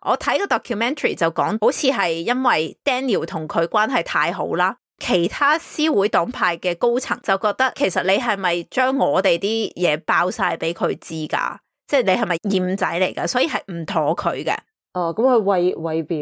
我睇個 documentary 就講，好似係因為 Daniel 同佢關係太好啦，其他私會黨派嘅高層就覺得，其實你係咪將我哋啲嘢爆晒俾佢知㗎？即係你係咪厭仔嚟㗎？所以係唔妥佢嘅。哦，咁佢為為表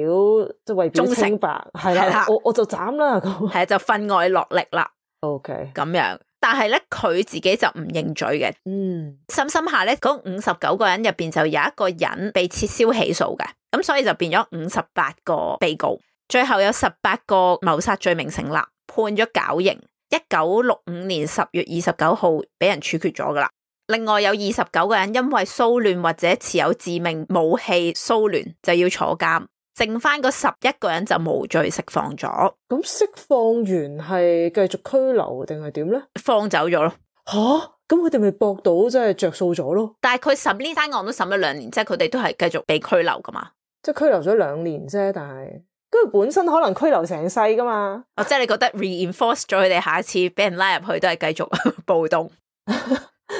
即係為表清白，係啦，我我就斬啦，咁係就分外落力啦。OK，咁樣。但係咧，佢自己就唔認罪嘅。嗯，深深下咧，嗰五十九個人入邊就有一個人被撤銷起訴嘅，咁所以就變咗五十八個被告，最後有十八個謀殺罪名成立，判咗絞刑。一九六五年十月二十九號俾人處決咗噶啦。另外有二十九個人因為騷亂或者持有致命武器騷亂就要坐監。剩翻嗰十一個人就無罪釋放咗。咁釋放完係繼續拘留定係點咧？放走咗咯。吓，咁佢哋咪搏到即係着數咗咯？但係佢審呢單案都審咗兩年，即係佢哋都係繼續被拘留噶嘛。即係拘留咗兩年啫，但係跟住本身可能拘留成世噶嘛。哦，即係你覺得 reinforce 咗佢哋下一次俾人拉入去都係繼續暴動？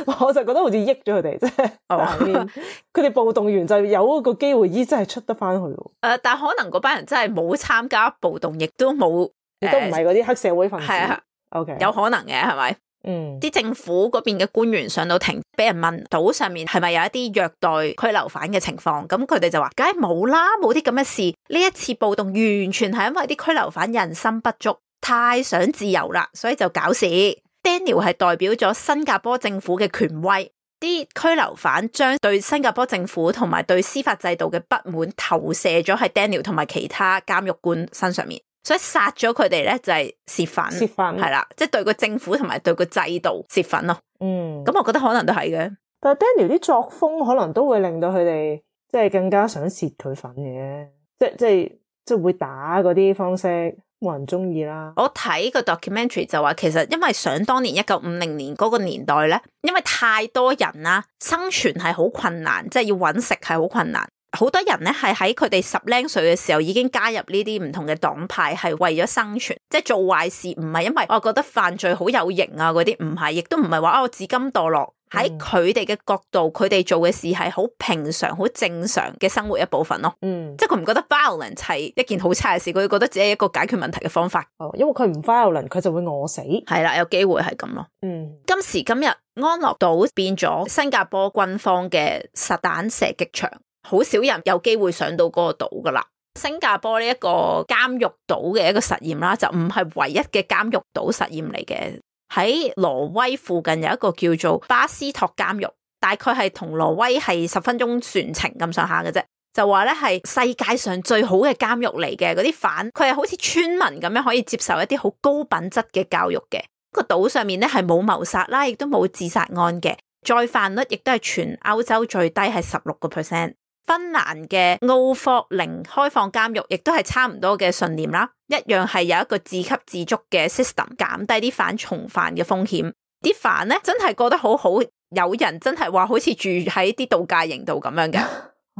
我就覺得好似益咗佢哋，即係佢哋暴動完就有一個機會，依真係出得翻去。誒、呃，但可能嗰班人真係冇參加暴動，亦都冇，亦都唔係嗰啲黑社會分子。係啊，OK，有可能嘅係咪？嗯，啲政府嗰邊嘅官員上到庭，俾人問島上面係咪有一啲虐待拘留犯嘅情況，咁佢哋就話：梗係冇啦，冇啲咁嘅事。呢一次暴動完全係因為啲拘留犯人心不足，太想自由啦，所以就搞事。Daniel 係代表咗新加坡政府嘅權威，啲拘留犯將對新加坡政府同埋對司法制度嘅不滿投射咗喺 Daniel 同埋其他監獄官身上面，所以殺咗佢哋咧就係泄憤，泄憤係啦，即係對個政府同埋對個制度泄憤咯。嗯，咁我覺得可能都係嘅。但係 Daniel 啲作風可能都會令到佢哋即係更加想泄佢憤嘅，即係即係即係會打嗰啲方式冇人中意啦。我睇個 documentary 就話，其實因為想當年一九五零年嗰個年代咧，因為太多人啦，生存係好困難，即係要搵食係好困難。好多人咧係喺佢哋十零歲嘅時候已經加入呢啲唔同嘅黨派，係為咗生存，即係做壞事，唔係因為我覺得犯罪好有型啊嗰啲，唔係，亦都唔係話我自甘墮落。喺佢哋嘅角度，佢哋做嘅事係好平常、好正常嘅生活一部分咯。嗯，即係佢唔覺得 violence 係一件好差嘅事，佢覺得只係一個解決問題嘅方法。哦，因為佢唔 violence，佢就會餓死。係啦，有機會係咁咯。嗯，今時今日安樂島變咗新加坡軍方嘅實彈射擊場，好少人有機會上到嗰個島噶啦。新加坡呢一個監獄島嘅一個實驗啦，就唔係唯一嘅監獄島實驗嚟嘅。喺挪威附近有一個叫做巴斯托監獄，大概係同挪威係十分鐘船程咁上下嘅啫。就話咧係世界上最好嘅監獄嚟嘅，嗰啲犯佢係好似村民咁樣可以接受一啲好高品質嘅教育嘅。個島上面咧係冇謀殺啦，亦都冇自殺案嘅，再犯率亦都係全歐洲最低，係十六個 percent。芬蘭嘅奧霍寧開放監獄亦都係差唔多嘅信念啦，一樣係有一個自給自足嘅 system， 減低啲犯重犯嘅風險。啲犯咧真係過得好好，有人真係話好似住喺啲度假營度咁樣嘅。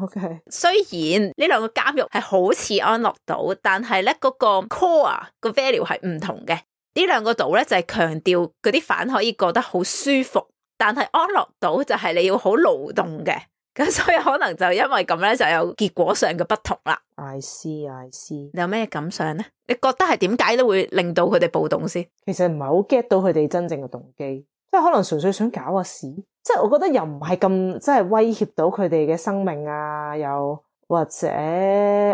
OK， 雖然呢兩個監獄係好似安樂島，但係咧嗰個 core 個 value 係唔同嘅。呢兩個島咧就係強調嗰啲犯可以過得好舒服，但係安樂島就係你要好勞動嘅。咁所以可能就因為咁咧，就有結果上嘅不同啦。I see, I see。你有咩感想咧？你覺得係點解都會令到佢哋暴動先？其實唔係好 get 到佢哋真正嘅動機，即係可能純粹想搞下事。即係我覺得又唔係咁，即係威脅到佢哋嘅生命啊，又或者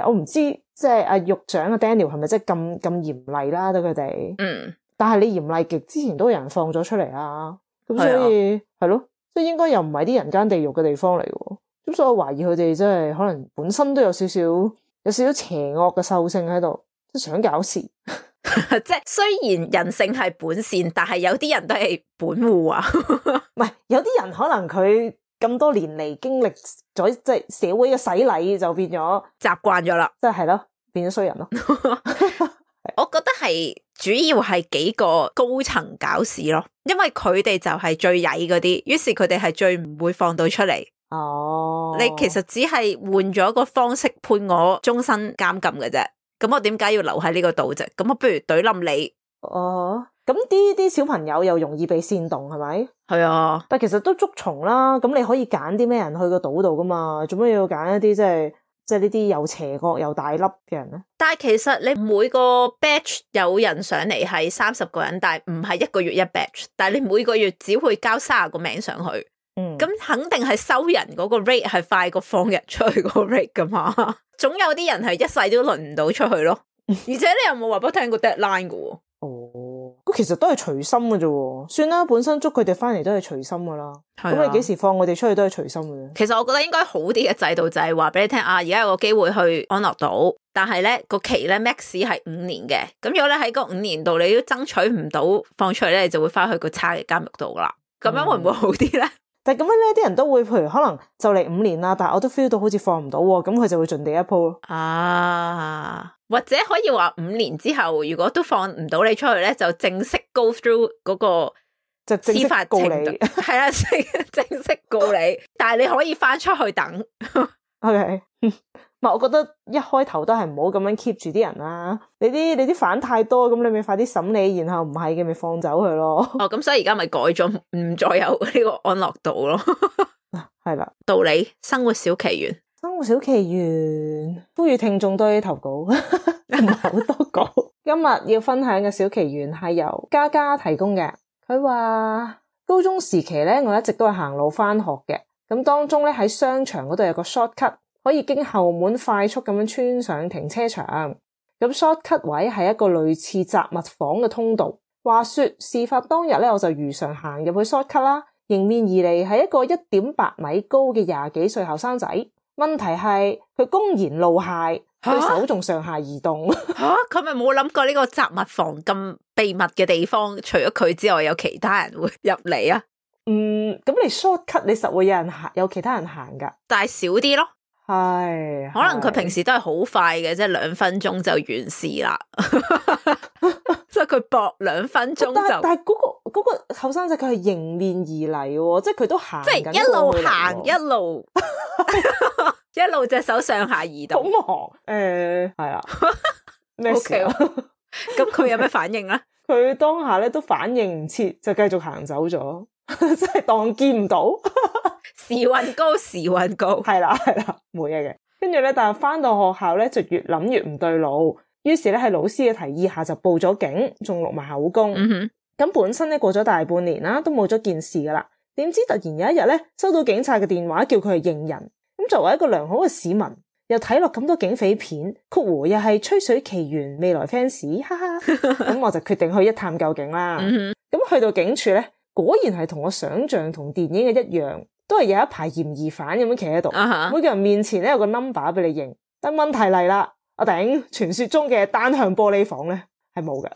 我唔知，即係阿獄長阿 Daniel 係咪即係咁咁嚴厲啦對佢哋？嗯。但係你嚴厲極之前都有人放咗出嚟啊，咁所以係咯。即係應該又唔係啲人間地獄嘅地方嚟嘅，咁所以我懷疑佢哋真係可能本身都有少少有少少邪惡嘅獸性喺度，即係想搞事。即係雖然人性係本善，但係有啲人都係本惡啊。唔係，有啲人可能佢咁多年嚟經歷咗即係社會嘅洗禮，就變咗習慣咗啦。即係係咯，變咗衰人咯。我覺得係主要係幾個高層搞事咯，因為佢哋就係最曳嗰啲，於是佢哋係最唔會放到出嚟。哦，你其實只係換咗個方式判我終身監禁嘅啫，咁我點解要留喺呢個島啫？咁我不如懟冧你。哦，咁啲啲小朋友又容易被煽動係咪？係啊，但其實都捉蟲啦，咁你可以揀啲咩人去個島度噶嘛？做咩要揀一啲即係？即係呢啲又邪惡又大粒嘅人咧，但係其實你每個 batch 有人上嚟係三十個人，但係唔係一個月一 batch， 但係你每個月只會交三十個名上去，嗯，咁肯定係收人嗰個 rate 係快過放人出去嗰個 rate 噶嘛，總有啲人係一世都輪唔到出去咯，而且你有冇話俾我聽過 deadline 噶？哦，咁其實都係隨心嘅啫，算啦，本身捉佢哋翻嚟都係隨心噶啦，咁、啊、你幾時放我哋出去都係隨心嘅。其實我覺得應該好啲嘅制度就係話俾你聽啊，而家有個機會去安樂島，但係咧個期咧 max 係五年嘅，咁如果咧喺嗰五年度你都爭取唔到放出去咧，你就會翻去個差嘅監獄度噶啦，咁樣會唔會好啲咧？嗯但係咁樣咧，啲人都會，譬如可能就嚟五年啦，但係我都 feel 到好似放唔到喎，咁佢就會盡地一鋪咯。啊，或者可以話五年之後，如果都放唔到你出去咧，就正式 go through 嗰個就司法告你，係啦，正式告你，但係你可以翻出去等。OK。唔係，我覺得一開頭都係唔好咁樣 keep 住啲人啦。你啲你啲犯太多，咁你咪快啲審理，然後唔係嘅咪放走佢咯。哦，咁所以而家咪改咗，唔再有呢個安樂島咯。係啦，道理生活小奇緣，生活小奇緣，呼籲聽眾多啲投稿，唔係好多稿。今日要分享嘅小奇緣係由嘉嘉提供嘅。佢話高中時期咧，我一直都係行路翻學嘅，咁當中咧喺商場嗰度有個 shortcut。可以經後門快速咁樣穿上停車場，咁 shortcut 位係一個類似雜物房嘅通道。話說事發當日咧，我就如常行入去 shortcut 啦，迎面而嚟係一個一點八米高嘅廿幾歲後生仔。問題係佢公然露械，佢手仲上下移動。吓，佢咪冇諗過呢個雜物房咁秘密嘅地方，除咗佢之外，有其他人會入嚟啊？嗯，咁你 shortcut 你實會有人行，有其他人行噶，但係少啲咯。係，可能佢平時都係好快嘅，即係兩分鐘就完事啦。即係佢搏兩分鐘就。但係嗰、嗰個、嗰個後生仔佢係迎面而嚟喎，即係佢都行緊，即係一路行一路一路隻手上下移動。好忙誒，係啊，咩事啊？咁佢有咩反應咧？佢當下咧都反應唔切，就繼續行走咗，即係當見唔到。時運高，時運高，係啦係啦，冇嘢嘅。跟住咧，但係翻到學校咧就越諗越唔對路，於是咧喺老師嘅提議下就報咗警，仲錄埋口供。嗯哼，咁本身咧過咗大半年啦，都冇咗件事噶啦。點知突然有一日咧，收到警察嘅電話，叫佢去認人。咁作為一個良好嘅市民，又睇落咁多警匪片，曲湖又係吹水奇緣未來 fans， 哈哈。咁我就決定去一探究竟啦。咁、嗯、去到警署咧，果然係同我想象同電影嘅一樣。都係有一排嫌疑犯咁樣企喺度，uh-huh. 每個人面前咧有個 number 俾你認。但問題嚟啦，阿頂，傳說中嘅單向玻璃房咧係冇嘅。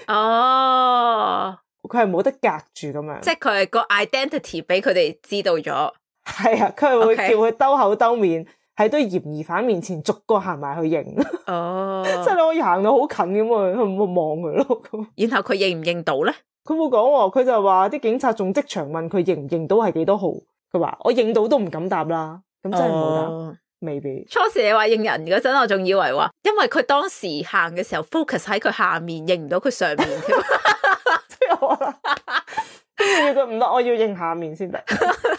哦，佢係冇得隔住咁樣，即係佢係個 identity 俾佢哋知道咗。係啊，佢係會叫佢兜口兜面喺堆嫌疑犯面前逐個行埋去認。哦，即係你可以行到好近咁啊，去望佢咯。然後佢認唔認到咧？佢冇講喎，佢就話啲警察仲即場問佢認唔認到係幾多號，佢話我認到都唔敢答啦，咁真係冇答，哦、未必。初時你話認人嗰陣，我仲以為話，因為佢當時行嘅時候 focus 喺佢下面，認唔到佢上面添。即係我啦，跟住佢唔得，我要認下面先得。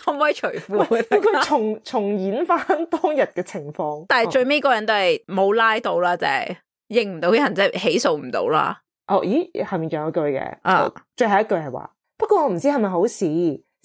可唔可以除褲？佢重重演翻當日嘅情況。但係最尾嗰人都係冇拉到啦，就係認唔到嘅人，即係起訴唔到啦。哦，咦，下面仲有一句嘅，啊，最後一句係話，不過我唔知係咪好事，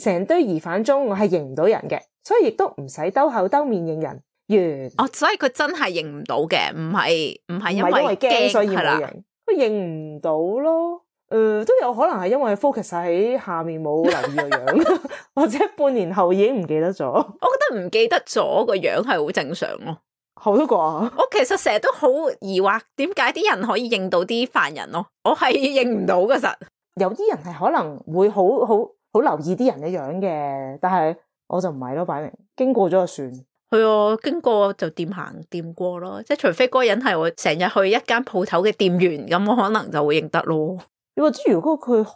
成堆疑犯中我係認唔到人嘅，所以亦都唔使兜口兜面認人。完。哦，所以佢真係認唔到嘅，唔係唔係因為驚所以冇認，佢認唔到咯。誒、呃，都有可能係因為 focus 喺下面冇留意個樣，或者半年後已經唔記得咗。我覺得唔記得咗個樣係好正常咯。好多個，我其實成日都好疑惑，點解啲人可以認到啲犯人咯？我係認唔到噶，實有啲人係可能會好好好留意啲人嘅樣嘅，但係我就唔係咯，擺明經過咗就算。係啊，經過就掂行掂過咯，即係除非嗰個人係我成日去一間鋪頭嘅店員，咁我可能就會認得咯。你話知如果佢好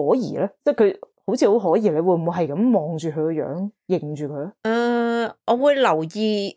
可疑咧，即係佢好似好可疑，你會唔會係咁望住佢個樣認住佢咧？誒、uh，我會留意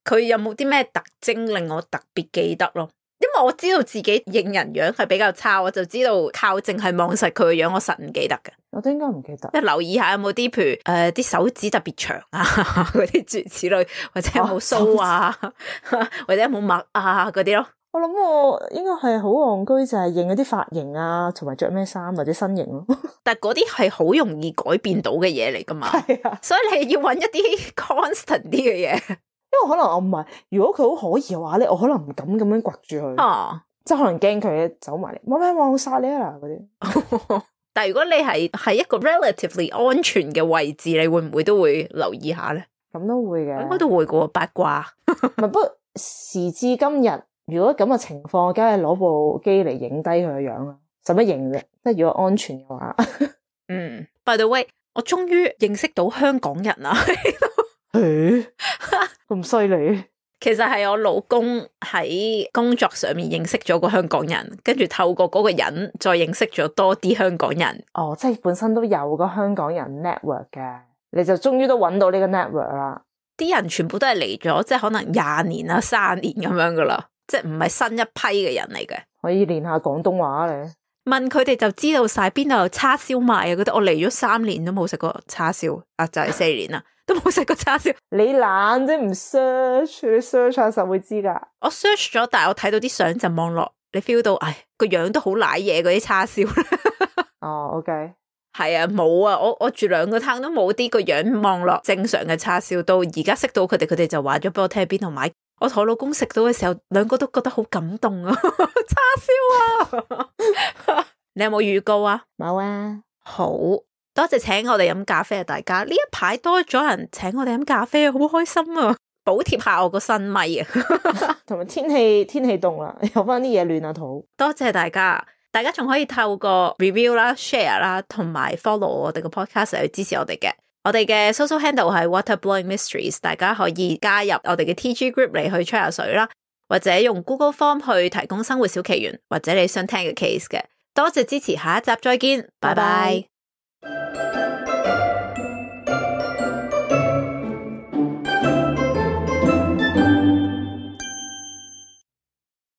佢有冇啲咩特徵令我特別記得咯。因為我知道自己認人樣係比較差，我就知道靠淨係望實佢個樣，我實唔記得嘅。我都應該唔記得。即係留意下有冇啲，譬如誒啲、呃、手指特別長啊，嗰啲諸如此類，或者有冇鬚啊，啊或者有冇墨啊嗰啲咯。我諗我應該係好戇居，就係認嗰啲髮型啊，同埋着咩衫或者身形咯。但係嗰啲係好容易改變到嘅嘢嚟噶嘛，係啊，所以你要揾一啲 constant 啲嘅嘢。因為可能我唔係，如果佢好可疑嘅話咧，我可能唔敢咁樣掘住佢，啊，即係可能驚佢走埋嚟，冇咩我殺你啊嗱嗰啲。但係如果你係喺一個 relatively 安全嘅位置，你會唔會都會留意下咧？咁都會嘅，應該都會嘅八卦。唔係，不過時至今日，如果咁嘅情況，梗係攞部機嚟影低佢嘅樣啦，使乜影啫？即係如果安全嘅話。嗯 ，by the way，我終於認識到香港人啦。誒，咁犀利！其實係我老公喺工作上面認識咗個香港人，跟住透過嗰個人再認識咗多啲香港人。哦，即係本身都有個香港人 network 嘅，你就終於都揾到呢個 network 啦。啲人全部都係嚟咗，即係可能廿年啦、三年咁樣噶啦，即係唔係新一批嘅人嚟嘅。可以練下廣東話咧。問佢哋就知道晒邊度有叉燒賣啊！覺得我嚟咗三年都冇食過叉燒，啊就係、是、四年啦。都冇食過叉燒，你懶啫，唔 search， 你 search 下實會知噶。我 search 咗，但係我睇到啲相就望落，你 feel 到，唉，個樣都好瀨嘢嗰啲叉燒。哦、oh, ，OK，係啊，冇啊，我我住兩個攤都冇啲個樣望落正常嘅叉燒。到而家識到佢哋，佢哋就話咗俾我聽喺邊度買。我同我老公食到嘅時候，兩個都覺得好感動啊！叉燒啊，你有冇預告啊？冇啊，好。多謝請我哋飲咖啡啊！大家呢一排多咗人請我哋飲咖啡啊，好開心啊！補貼下我個新咪啊，同埋天氣天氣凍啦，有翻啲嘢暖下肚。多謝大家，大家仲可以透過 review 啦、share 啦，同埋 follow 我哋個 podcast 去支持我哋嘅。我哋嘅 social handle 係 Waterblowing Mysteries， 大家可以加入我哋嘅 T G group 嚟去吹下水啦，或者用 Google Form 去提供生活小奇懸或者你想聽嘅 case 嘅。多謝支持，下一集再見，拜拜。